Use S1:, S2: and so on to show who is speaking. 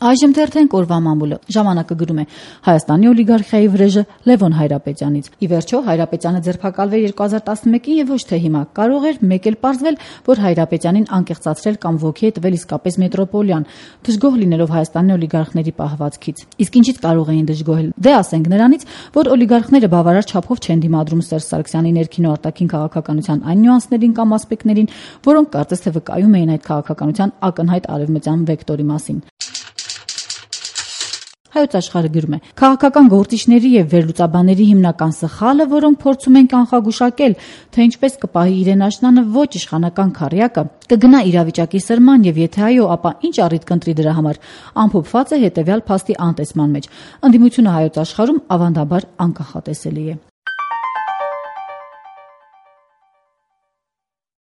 S1: Այժմ թերթենք օրվա մամուլը։ Ժամանակը գրում է. Հայաստանի օլիգարխիայի վրեժը Լևոն Հայրապետյանից։ Ի վերջո Հայրապետյանը ձերբակալվել 2011-ին եւ ոչ թե հիմա։ Կարող էր մեկ էլ պարզվել, որ Հայրապետյանին անկեղծացրել կամ ոգի է տվել իսկապես մետրոպոլիան, դժգոհ լինելով Հայաստանի օլիգարխների պահվածքից։ Իսկ ինչից կարող էին դժգոհել։ Դե ասենք նրանից, որ օլիգարխները բավարար չափով չեն դիմադրում Սերժ Սարգսյանի ներքին ու արտաքին քաղաքականության այն նյուանսներին կամ ասպեկտներին, որոնք կարծես թե վկայում էին այդ քաղաքականության ակնհայտ արևմտյան վեկտորի մասին։ Հայոց աշխարհը գրում է. Քաղաքական գործիչների եւ վերլուծաբանների հիմնական սխալը, որոնք փորձում են կանխագուշակել, թե ինչպես կպահի իրեն աշնանը ոչ իշխանական քառյակը, կգնա իրավիճակի սրման եւ եթե այո, ապա ինչ առիթ կընտրի դրա համար, ամփոփված է հետեւյալ փաստի անտեսման մեջ. ընդդիմությունը հայոց աշխարհում ավանդաբար անկախատեսելի է։